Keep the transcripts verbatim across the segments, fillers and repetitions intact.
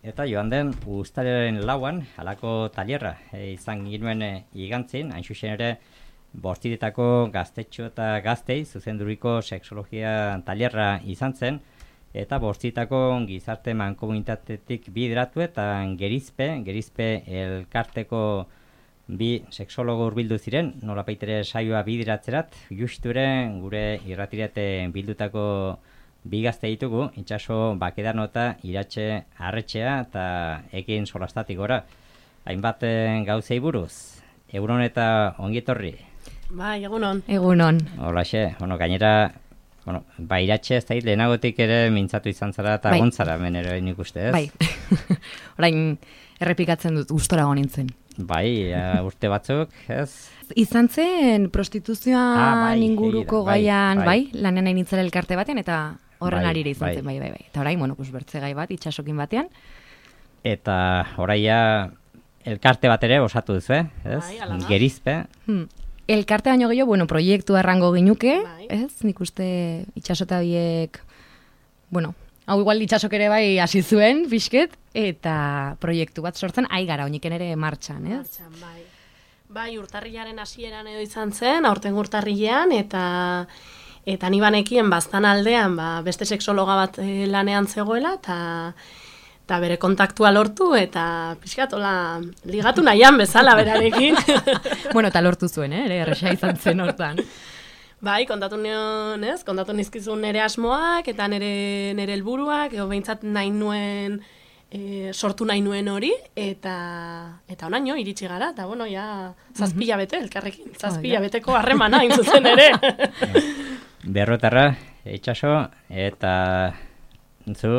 Eta joan den uztailaren lauan, halako tailerra e, izan ginuen e, igantzin, hain zuzen ere, bortziretako gaztetxo eta gaztei, zuzenduriko sexologia tailerra izan zen, eta bortziretako gizarte mankomunitatetik bideratu eta gerizpe, gerizpe elkarteko bi sexologo hurbildu ziren, nolapaitere saioa bideratzerat, justure gure irratirete bildutako bi gazte ditugu, itxaso Bakedano eta Iratxe Arretxea eta ekin solastatik gora. Hainbat gauzei buruz, egunon eta ongietorri. Bai, egunon. Egunon. Holaxe, bueno, gainera, bueno, ba Iratxe ez da lehenagotik ere mintzatu izan zara eta bai. gontzara menero nik uste ez? Bai, orain errepikatzen dut, gustora nintzen. Bai, uh, urte batzuk, ez? Izan zen prostituzioan ah, bai, inguruko bai, gaian, bai, bai. lanen nahi nintzela elkarte batean, eta horren bai, arire izan bai. zen, bai, bai, bai. Eta orain, bueno, pues, bertze gai bat, itxasokin batean. Eta oraia elkarte bat ere osatu duzu, eh? Ez? Bai, ala da. Gerizpe. Hmm. Elkarte baino gehiago, bueno, proiektu errango ginuke, Bai. ez? Nik uste itxasota biek, bueno, hau igual itxasok ere bai hasi zuen, pixket, eta proiektu bat sortzen, ai gara, oiniken ere martxan, ez? Martxan, bai. Bai, urtarrilaren hasieran edo izan zen, aurten urtarrilean, eta eta ni banekien baztan aldean, ba, beste sexologa bat eh, lanean zegoela, eta eta bere kontaktua lortu, eta pixkatola ligatu nahian bezala berarekin. Bueno, eta lortu zuen, eh? Ere, erresa izan zen hortan. Bai, kontatu nion, ez? Kontatu nizkizun nire asmoak, eta nire, nire helburuak, edo behintzat nahi nuen, e, sortu nahi nuen hori, eta eta onaino iritsi gara, eta bueno, ja, zazpila bete, elkarrekin, zazpila beteko harremana hain zuzen ere. Berroetarra, itxaso, eta zu...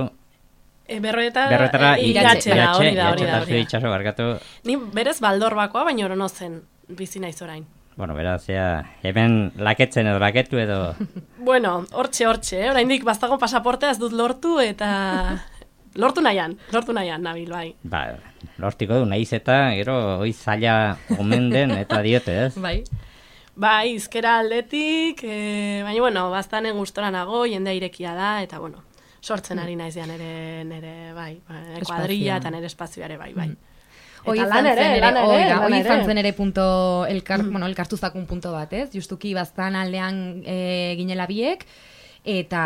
E, berroeta, Berroetarra, e, iratxe, iratxera, hori da, hori iratxe da, eta zu hori da. itxaso barkatu. Ni berez baldorbakoa, baina orono zen bizi naiz orain. Bueno, beraz, ja, hemen laketzen edo laketu edo... Bueno, hortxe, hortxe, eh? Oraindik baztago pasaportea ez dut lortu, eta lortu nahian, lortu nahian, nabil, bai. Ba, lortiko du, nahiz eta, gero, hoi zaila omen den, eta diote, ez? Bai. Bai, izkera aldetik, e, baina, bueno, baztanen gustora nago, jendea irekia da, eta, bueno, sortzen ari naiz ja nere, nere, bai, bai kuadrilla eta nere espazioare, bai, bai. Hoi Eta lan ere, lan ere, hoi da, lan hoi ere. izan zen ere punto, elkar, bueno, elkartuzakun punto bat, ez? Justuki baztan aldean e, ginela biek, eta,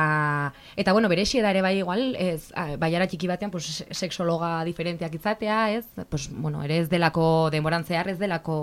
eta bueno, berexi da ere bai igual, ez, baiara txiki batean, pues, sexologa diferenteak izatea, ez? Pues, bueno, ere ez delako, denboran zehar ez delako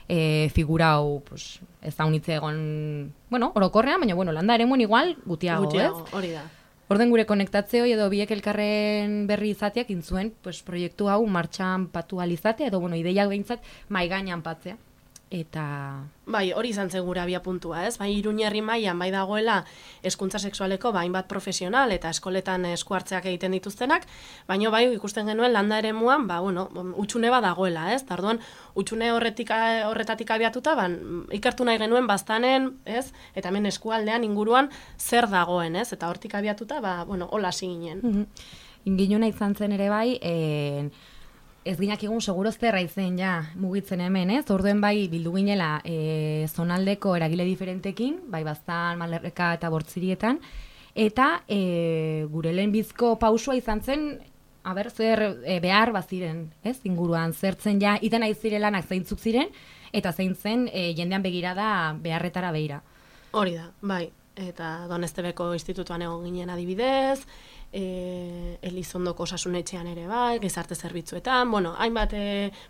e, figura hau, pues, ez da unitze egon, bueno, orokorrean, baina, bueno, landa ere muen igual, gutiago, Gutiago, ez? hori da. Orden gure konektatzeo edo biek elkarren berri izateak intzuen, pues, proiektu hau martxan patu alizatea, edo bueno, ideiak behintzat mai gainean patzea. Eta... Bai, hori izan zen gure abia puntua, ez? Bai, Iruñerri mailan bai dagoela hezkuntza sexualeko ba, hainbat profesional eta eskoletan esku hartzeak egiten dituztenak, baina bai ikusten genuen landa eremuan, ba, bueno, utxune bat dagoela, ez? Tarduan, utxune horretik, horretatik abiatuta, ban, ikertu nahi genuen baztanen, ez? Eta hemen eskualdean inguruan zer dagoen, ez? Eta hortik abiatuta, ba, bueno, hola hasi ginen. Mm-hmm. Inginuna izan zen ere bai, en... ez ginak egun seguroz zerra izen ja mugitzen hemen, ez? Orduen bai bildu ginela e, zonaldeko eragile diferentekin, bai baztan, Malerreka eta Bortzirietan, eta e, gure lehenbizko pausua izan zen, aber, zer e, behar baziren, ez? Inguruan, zertzen ja, iten nahi zirelanak zeintzuk ziren, eta zein zen e, jendean begirada beharretara behira. Hori da, bai. Eta Donestebeko institutuan egon ginen adibidez, e, Elizondoko osasunetxean ere bai, gizarte zerbitzuetan, bueno, hainbat e,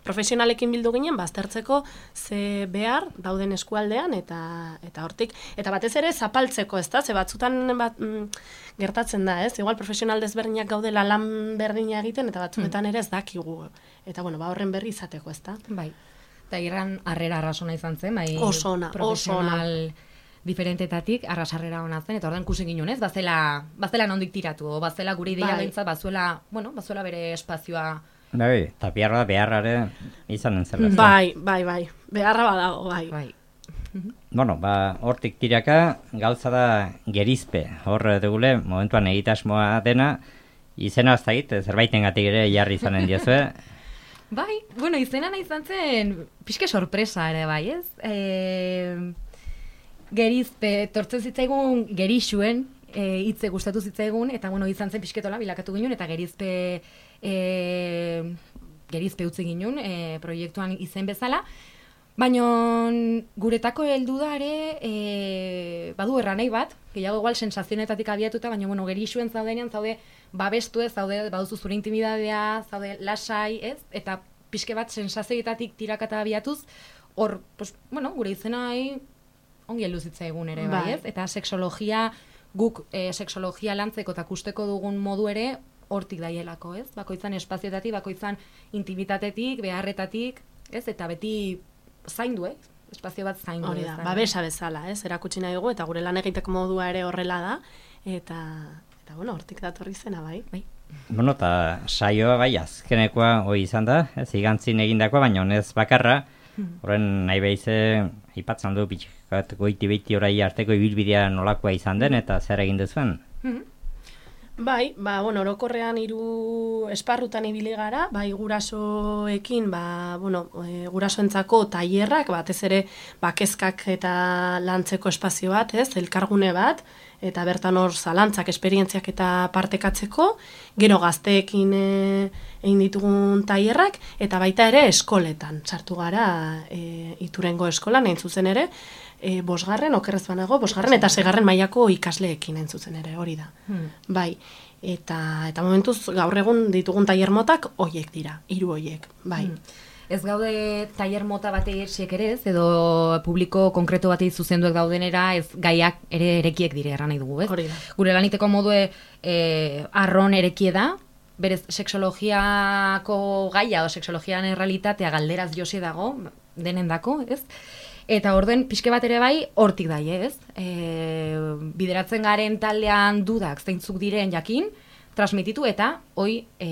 profesionalekin bildu ginen, baztertzeko ze behar dauden eskualdean, eta eta hortik, eta batez ere zapaltzeko, ez da, ze batzutan bat, mm, gertatzen da, ez, igual profesional desberdinak gaudela lan berdina egiten, eta batzuetan ere ez dakigu, eta bueno, ba horren berri izateko, ez da. Bai, eta irran harrera arrasona izan zen, bai, oso ona, profesional diferentetatik arrasarrera hona zen, eta ordan ikusi ginen, ez? Bazela, bazela nondik tiratu, bazela gure ideia bai. behintzat, bazuela, bueno, bazuela bere espazioa. Bai, eta biharra beharrare izanen zela. Mm-hmm. Bai, bai, bai, beharra badago, bai. Bai. Bueno, ba, hortik tiraka, gauza da gerizpe, hor dugule, momentuan egitasmoa dena, izena ez dakit, zerbaitengatik ere jarri izanen diozue. Bai, bueno, izena nahi izan zen, pixke sorpresa ere, bai, ez? E... Gerizpe, tortzen zitzaigun gerixuen e, hitze gustatu zitzaigun, eta bueno, izan zen pixketola bilakatu ginen, eta gerizpe, e, gerizpe utzi ginen e, proiektuan izen bezala, baina guretako heldu da ere, e, badu erranei bat, gehiago igual sensazionetatik abiatuta, baina bueno, gerixuen zaudenean, zaude babestu ez, zaude baduzu zure intimidadea, zaude lasai, ez? Eta pixke bat sensazioetatik tirakata abiatuz, hor, pues, bueno, gure izenai ongi heldu zitzaigun ere, bai, ez? Eta sexologia, guk e, sexologia lantzeko eta kusteko dugun modu ere, hortik daielako, ez? Bakoitzan espazioetatik, bakoitzan intimitatetik, beharretatik, ez? Eta beti zaindu, ez? Espazio bat zaindu. Hori da, babesa bezala, ez? Erakutsi nahi dugu, eta gure lan egiteko modua ere horrela da, eta, eta bueno, hortik datorri zena, bai. bai. Bueno, eta saioa bai, azkenekoa hoi izan da, ez igantzin egindakoa, baina honez bakarra, horren nahi behize, aipatzen du pixkat goiti-beiti orai arteko ibilbidea nolakoa izan den, eta zer egin duzuen? Bai, ba, bueno, orokorrean hiru esparrutan ibili gara, bai gurasoekin, ba, bueno, e, gurasoentzako tailerrak, batez ere, ba, kezkak eta lantzeko espazio bat, ez, elkargune bat, eta bertan hor zalantzak, esperientziak eta partekatzeko, gero gazteekin e, egin ditugun tailerrak, eta baita ere eskoletan, sartu gara e, Iturengo eskolan, hain zuzen ere, E, bosgarren, okerrez banago, bosgarren eta segarren mailako ikasleekin hain zuzen ere, hori da. Hmm. Bai, eta, eta momentuz gaur egun ditugun tailer motak hoiek dira, hiru hoiek, bai. Hmm. Ez gaude tailer mota batei esiek ere ez, edo publiko konkreto batei zuzenduek daudenera, ez gaiak ere erekiek dire erran nahi dugu, ez? Hori da. Gure laniteko modue e, arron erekie da, berez sexologiako gaia o sexologian errealitatea galderaz josi dago, denendako, ez? Eta orden pixke bat ere bai hortik daie, ez? E, bideratzen garen taldean dudak zeintzuk diren jakin, transmititu eta hoi e,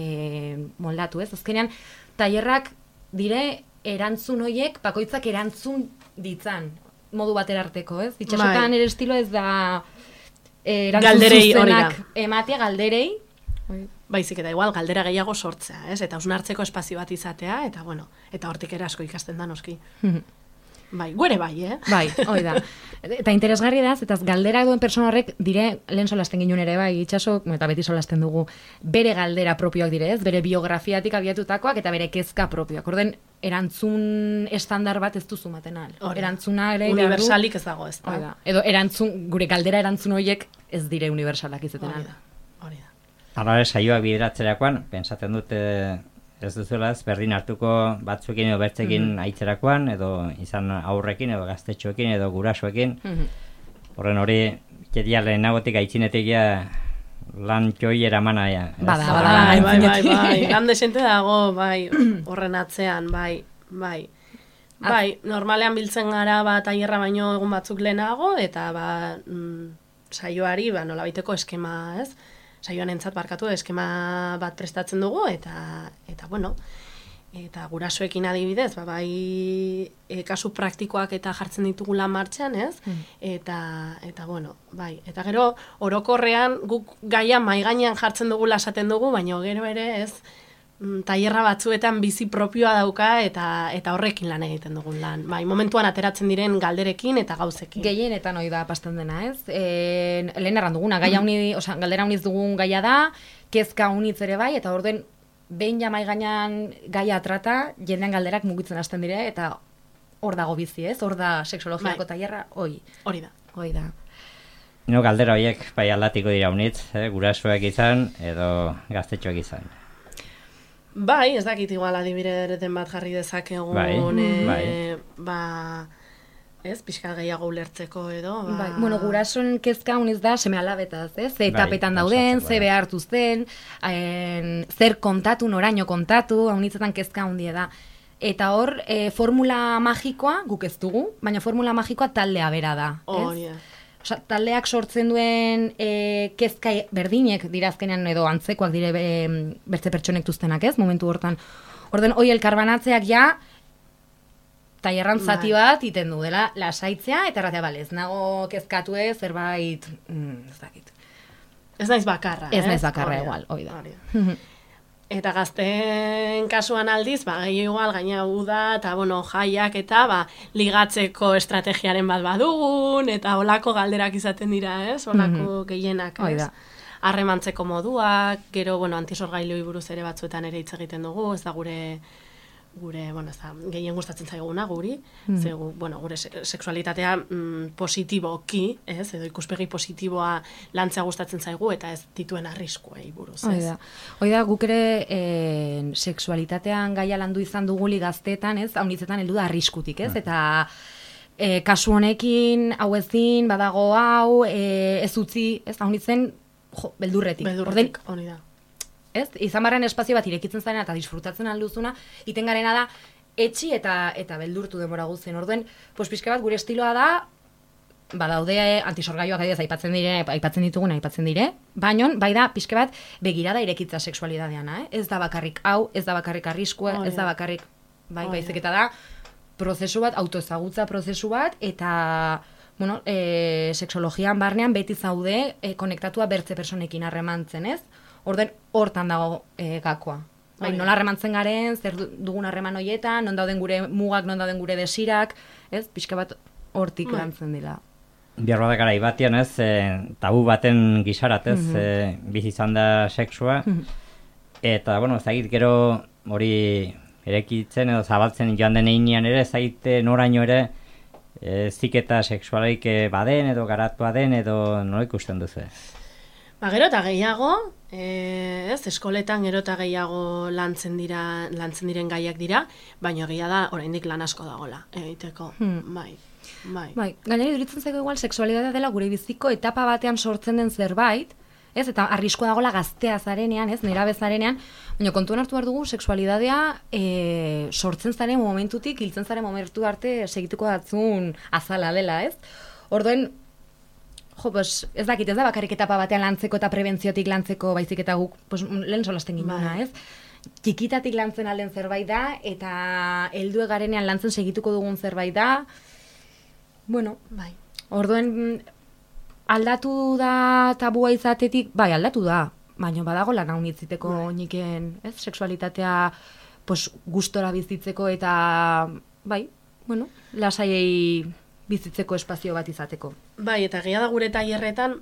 moldatu, ez? Azkenean, tailerrak dire erantzun hoiek, bakoitzak erantzun ditzan, modu batera arteko, ez? Itxasotan ere estilo ez da e, erantzun galderei, zuzenak ematea galderei. Baizik eta igual galdera gehiago sortzea, ez? Eta hausnartzeko espazio bat izatea, eta bueno, eta hortik ere asko ikasten da noski. Bai, guere bai, eh? Bai, hoi da. Eta interesgarri da, eta galdera duen persona horrek dire, lehen solasten ginen ere, bai, itxaso, eta beti solasten dugu, bere galdera propioak dire, ez? Bere biografiatik abiatutakoak eta bere kezka propioak. Orden, erantzun estandar bat ez duzu maten al. Erantzuna ere... Universalik ez dago, ez da. Hoi da. Edo, erantzun, gure galdera erantzun horiek ez dire universalak izaten al. Hori da, hori da. Hala, saioak bideratzerakoan, pensatzen dute... Ez duzuela ez berdin hartuko batzuekin edo bertzekin mm -hmm. aitzerakoan, edo izan aurrekin, edo gaztetxoekin, edo gurasoekin. Mm -hmm. Horren hori, kedia lehenagotik aitzinetik ja lan txoi eramana. Ja, bada, bada, bai, bai, bai, bai, lan desente dago, bai, horren atzean, bai, bai. Bai, normalean biltzen gara ba, tailerra baino egun batzuk lehenago, eta ba, mm, saioari ba, nolabaiteko eskema, ez? Saioan entzat barkatu eskema bat prestatzen dugu, eta, eta bueno, eta gurasoekin adibidez, ba, bai e, kasu praktikoak eta jartzen ditugula martxan, ez? Mm. Eta, eta bueno, bai, eta gero orokorrean guk gaia mahai gainean jartzen dugu lasaten dugu, baina gero ere ez, tailerra batzuetan bizi propioa dauka eta eta horrekin lan egiten dugun lan. Bai, momentuan ateratzen diren galderekin eta gauzekin. Gehienetan hori da pasten dena, ez? E, lehen erran duguna, gaia uni, osea, galdera uniz dugun gaia da, kezka unitz ere bai, eta orden behin ja mahai gainean gaia trata, jendean galderak mugitzen hasten dire, eta hor dago bizi, ez? Hor da sexologiako bai. Tailerra, hoi. Hori da. Hoi da. No, galdera horiek bai aldatiko dira unitz, eh? Gurasoak izan edo gaztetxoak izan. Bai, ez dakit igual adibideren bat jarri dezakegun, bai, e, bai. ba, ez, pixka gehiago ulertzeko edo. Ba... Bai, bueno, gurasoen kezka uniz da seme alabetaz, ez? Ze etapetan bai, dauden, ze behartu zen, en, zer kontatu, noraino kontatu, haunitzetan kezka hundie da. Eta hor, e, formula magikoa guk ez dugu, baina formula magikoa taldea bera da, ez? Oh, yeah. Osa, taldeak sortzen duen e, kezka berdinek dira azkenean edo antzekoak dire e, bertze pertsonek duztenak, ez? Momentu hortan. Orden, hoi elkarbanatzeak ja tailerran zati bat iten du dela lasaitzea eta erratea bale, ez nago kezkatu ez, zerbait, mm, ez dakit. Ez naiz bakarra, Ez eh? naiz bakarra Oria, igual, hoi da. Eta gazteen kasuan aldiz, ba, gehi igual, gaina uda, eta, bueno, jaiak eta, ba, ligatzeko estrategiaren bat badugun, eta olako galderak izaten dira, ez? Olako mm-hmm. gehienak, ez? Harremantzeko moduak, gero, bueno, antisorgailoi buruz ere batzuetan ere hitz egiten dugu, ez da gure, gure, bueno, ez da, gehien gustatzen zaiguna guri, mm. ze, bueno, gure sexualitatea mm, positiboki, ez, edo ikuspegi positiboa lantzea gustatzen zaigu, eta ez dituen arriskuei buruz, ez. Oida, Oida guk ere e, sexualitatean gaia landu izan duguli gazteetan, ez, haunitzetan heldu da arriskutik, ez, eta e, kasu honekin, hau ezin, badago hau, e, ez utzi, ez, haunitzen, jo, beldurretik. Beldurretik, honi da. Ez? Izan barren espazio bat irekitzen zaren eta disfrutatzen alduzuna, iten garena da etxi eta eta beldurtu denbora guztien. Orduen, pues pixka bat gure estiloa da, badaude antisorgaioak adidez aipatzen dire, aipatzen ditugun aipatzen dire, baino bai da pixka bat begirada irekitza sexualidadeana, eh? Ez da bakarrik hau, ez da bakarrik arriskua, oh, ez da bakarrik bai, baizik eta da prozesu bat, autoezagutza prozesu bat, eta bueno, e, sexologian barnean beti zaude e, konektatua bertze personekin harremantzen, ez? Orden hortan dago e, gakoa. Bai, nola harremantzen garen, zer dugun harreman hoietan, non dauden gure mugak, non dauden gure desirak, ez? Pixka bat hortik lantzen dira. Bihar badak garai batean, ez, e, tabu baten gisarat, ez, mm-hmm. e, bizi izan da sexua, mm-hmm. eta, bueno, zagit gero hori erekitzen edo zabaltzen joan den einean ere, zagit noraino ere, e, ziketa sexualaik baden edo garatua den edo nola ikusten duzu. Ba, gero eta gehiago, e, ez, eskoletan gero eta gehiago lantzen dira, lantzen diren gaiak dira, baina egia da, oraindik lan asko dagola, egiteko, hmm. bai, bai. Bai, gainera iduritzen zaigu igual, sexualidadea dela gure biziko etapa batean sortzen den zerbait, ez, eta arriskoa dagola gaztea zarenean, ez, nerabe zarenean, baina kontuan hartu behar dugu, sexualidadea e, sortzen zaren momentutik, hiltzen zaren momentu arte segituko datzun azala dela, ez? Orduen, jo, pues, ez dakit, ez da bakarrik etapa batean lantzeko eta prebentziotik lantzeko baizik eta guk, pues, lehen solasten ginduna, ez? Txikitatik lantzen alden zerbait da, eta heldu garenean lantzen segituko dugun zerbait da, bueno, bai. Orduen, aldatu da tabua izatetik, bai, aldatu da, baina badago lan hau nitziteko bai. Niken, ez? Sexualitatea, pues, gustora bizitzeko eta, bai, bueno, lasaiei bizitzeko espazio bat izateko. Bai, eta egia da gure tailerretan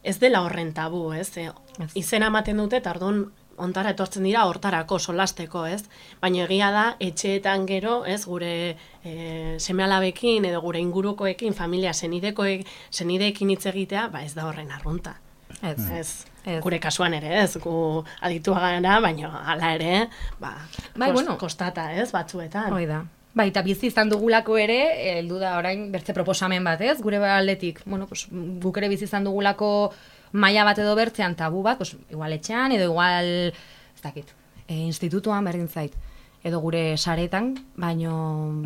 ez dela horren tabu, ez? E, izena ematen dute, eta orduan ontara etortzen dira hortarako, solasteko, ez? Baina egia da, etxeetan gero, ez, gure e, seme-alabekin edo gure ingurukoekin, familia senidekoek, senideekin hitz egitea, ba ez da horren arrunta. Ez, ez. Ez. Gure kasuan ere, ez, gu aditua gara, baina hala ere, ba, bai, kost, bueno. kostata, ez, batzuetan. Hoi da. Bai, eta bizi izan dugulako ere, heldu da orain bertze proposamen bat, ez? Gure aldetik, bueno, pues, guk ere bizi izan dugulako maila bat edo bertzean tabu bat, pues, igual etxean, edo igual, ez dakit, e, institutuan berdin zait, edo gure saretan, baino...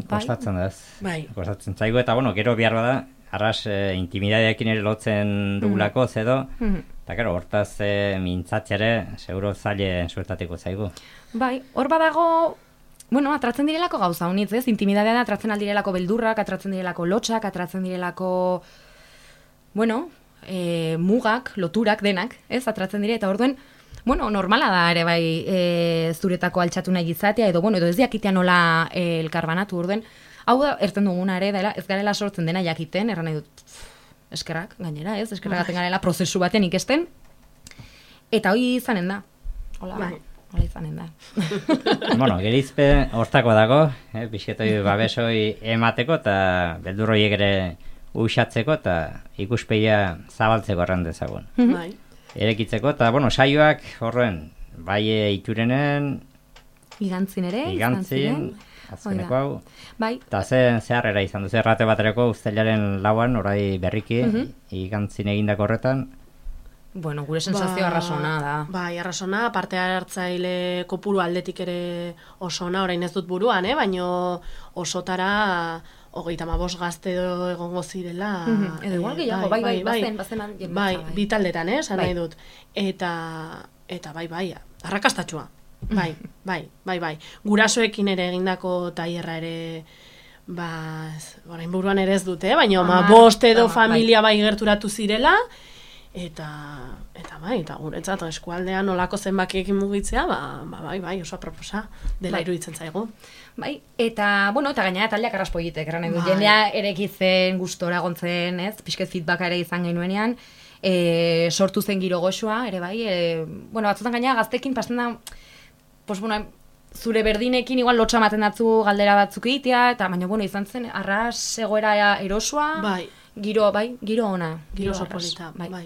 Bai. Kostatzen da ez. Bai. Kostatzen zaigu, eta bueno, gero behar bada, arras e, intimidadeekin ere lotzen dugulako, mm. zedo, mm. eta gero, hortaz e, mintzatxere, seguro zaile suertatiko zaigu. Bai, hor badago... Bueno, atratzen direlako gauza honitz, ez? Intimidadean atratzen aldirelako beldurrak, atratzen direlako lotxak, atratzen direlako, bueno, e, mugak, loturak, denak, ez? Atratzen dire, eta orduen, bueno, normala da ere bai e, zuretako altxatu nahi izatea, edo, bueno, edo ez diakitea nola e, elkarbanatu, orduen, hau da, erten duguna ere, dela, ez garela sortzen dena jakiten, erran nahi dut, eskerrak, gainera, ez? Eskerrak gaten garela prozesu baten ikesten, eta hoi izanen da. Hola, bai. Hola izanen da. Bueno, gerizpe hortako dago, eh, pixetoi babesoi emateko eta beldurroiek ere uxatzeko eta ikuspegia zabaltzeko erran dezagun. Bai. Erekitzeko eta, bueno, saioak horren, bai iturenen, igantzin ere, igantzin, azkeneko hau. Bai. Eta ze zeharrera izan duzu, errate baterako uztailaren lauan, orai berriki, Mhm. igantzin egindako horretan. Bueno, gure sensazio Ba, arrasona da. Bai, arrasona, parte hartzaile kopuru aldetik ere osona, orain ez dut buruan, eh? Baino osotara hogeita hamabost gazte edo egongo zirela. Mhm, edo igual gehiago, bai, bai, bazen, bazen bai, jendetza, bai, bai. bi taldetan, eh, esan Bai. nahi dut. Eta, eta bai, bai, arrakastatxua. Bai, bai, bai, bai. Gurasoekin ere egindako tailerra ere, ba, ez, orain buruan ere ez dute, eh? Baina ma Hamar, bost edo hamar, familia bai gerturatu zirela, eta eta bai, eta guretzat eskualdean olako zenbakiekin mugitzea, ba, ba bai, bai, oso aproposa dela bai. iruditzen zaigu. Bai, eta, bueno, eta gainera taldeak arraspo egitek, erran edu, Bai. jendea erekitzen, gustora gontzen, ez, pixket feedbacka ere izan genuenean, e, sortu zen giro goxoa, ere bai, e, bueno, batzutan gainera gaztekin pasten da, pues, bueno, zure berdinekin igual lotxa ematen datzu galdera batzuk egitea, eta baina, bueno, izan zen, arras egoera erosoa, Bai. giro, bai, giro ona, Giro oso arras, polita, bai. bai.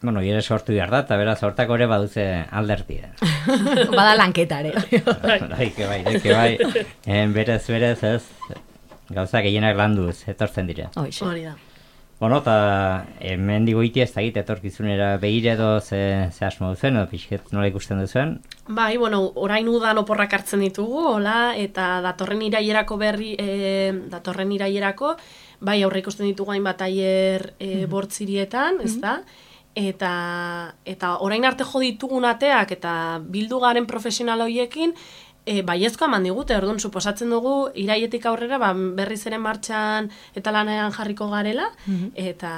Bueno, ere sortu behar da, eta beraz, hortako ere baduze aldertia. Bada lanketa ere. Bai, que bai, que bai. En berez, berez, ez, gauza gehienak landuz, etortzen dira. Hoxe. Hori da. Bueno, eta hemen digo iti ez da egite etorkizunera behire edo ze, ze asmo duzen, edo pixket nola ikusten duzuen. Bai, bueno, orain udan oporrak hartzen ditugu, hola, eta datorren irailerako berri, e, datorren irailerako, bai, aurre ikusten ditugu hainbat tailer e, bortzirietan, ez da? Eta, eta orain arte jo ditugun ateak eta bildu garen profesional horiekin, e, baiezkoa eman digute, orduan, suposatzen dugu, irailetik aurrera, ba, berriz ere martxan eta lanean jarriko garela, eta,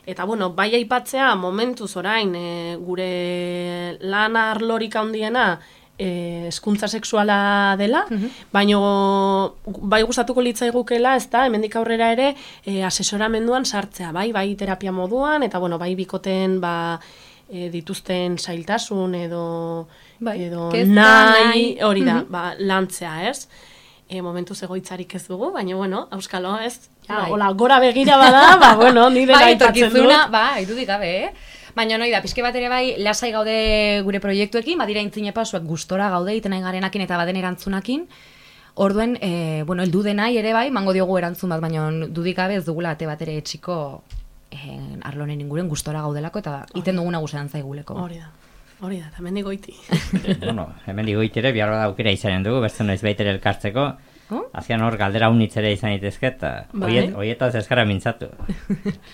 eta, bueno, bai aipatzea, momentuz orain, e, gure lan arlorik handiena, e, hezkuntza sexuala dela, baino bai gustatuko litzaigukela, ez da, hemendik aurrera ere, e, asesoramenduan sartzea, bai, bai terapia moduan, eta, bueno, bai bikoten, ba, e, dituzten zailtasun edo, Bai, edo kezka, nahi, nahi. hori da, Mhm. ba, lantzea, ez? E, momentuz egoitzarik ez dugu, baina, bueno, auskalo, ez? Ja, Bai. hola, gora begira bada, ba, bueno, nire Bai, aipatzen etorkizuna, dut. ba, irudik gabe, eh? Baina noi da, pixke bat ere bai, lasai gaude gure proiektuekin, badira intzine pasuak gustora gaude, iten nahi garenakin eta baden erantzunakin. Orduen, e, bueno, heldu denai ere bai, mango diogu erantzun bat, baina dudik gabe ez dugula ate bat ere etxiko e, arlonen inguren gustora gaudelako, eta iten duguna guzean zaiguleko. Hori da, hori da, eta hemendik goiti. Bueno, hemen digo itere, behar da aukera izanen dugu, beste noiz baitere elkartzeko. Oh? Azian hor galdera unitz ere izan itezke, eta Bai. oiet, oietaz eskara mintzatu.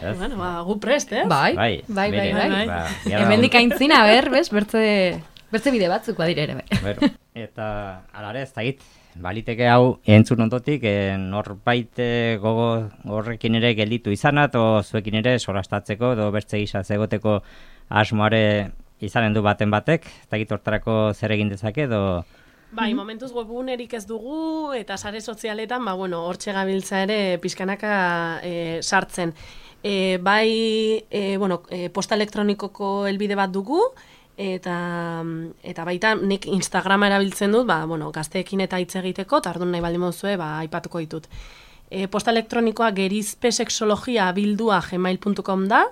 Ez? Bueno, ba, gu prest, ez? Bai, Bai, bai, bai, bere, bai. bai. Ba, behar da Hemendik aintzina, ber, bez, bertze, bertze bide batzuk badire ere, bai. Bueno, eta alare ez da git, baliteke hau entzun ondotik, e, norbait e, gogo horrekin ere gelditu izanat, o zuekin ere solastatzeko, edo bertze gisa zegoteko asmoare izanen du baten batek, ez da git hortarako zer egin dezake, edo... Bai, momentuz webgunerik ez dugu, eta sare sozialetan, ba, bueno, hortxe gabiltza ere pixkanaka e, sartzen. E, bai, e, bueno, e, posta elektronikoko helbide bat dugu, eta, eta baita nik Instagrama erabiltzen dut, ba, bueno, gazteekin eta hitz egiteko, eta orduan nahi baldin moduzue, ba, aipatuko ditut. E, posta elektronikoa gerizpesexologia bildua gmail puntu com da,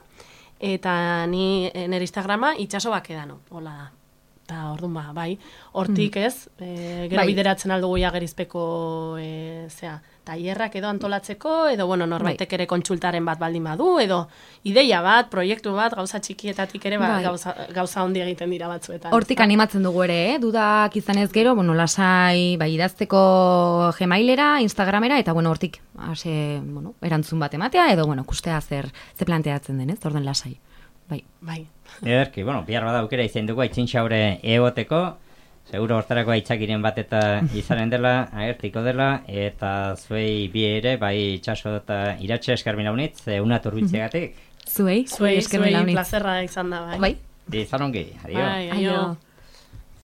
eta ni e, nire Instagrama itxaso bakedano, hola da. Eta orduan ba, bai, hortik ez, e, gero Bai. bideratzen aldugu ja gerizpeko e, zea, tailerrak edo antolatzeko, edo bueno, norbaitek ere kontsultaren bat baldin badu, edo ideia bat, proiektu bat, gauza txikietatik ere ba, Bai. gauza, gauza ondi egiten dira batzuetan. Hortik animatzen dugu ere, eh? Dudak izanez gero, bueno, lasai, bai, idazteko Gmailera, Instagramera, eta bueno, hortik, ase, bueno, erantzun bat ematea, edo, bueno, kustea zer, ze planteatzen den, ez, orden lasai. Bai. Bai. Ederki, bueno, bihar bada aukera izan dugu aitzintxaure egoteko, seguro hortarako aitzakiren bat eta izanen dela, agertiko dela, eta zuei bi ere, bai itxaso eta iratxe eskarmin launitz, una turbitzegatik. Zuei, Zuei, eskerrik zuei launitz. plazerra izan da, bai. Bai. Izan ongi, adio. Bai, aio. Aio.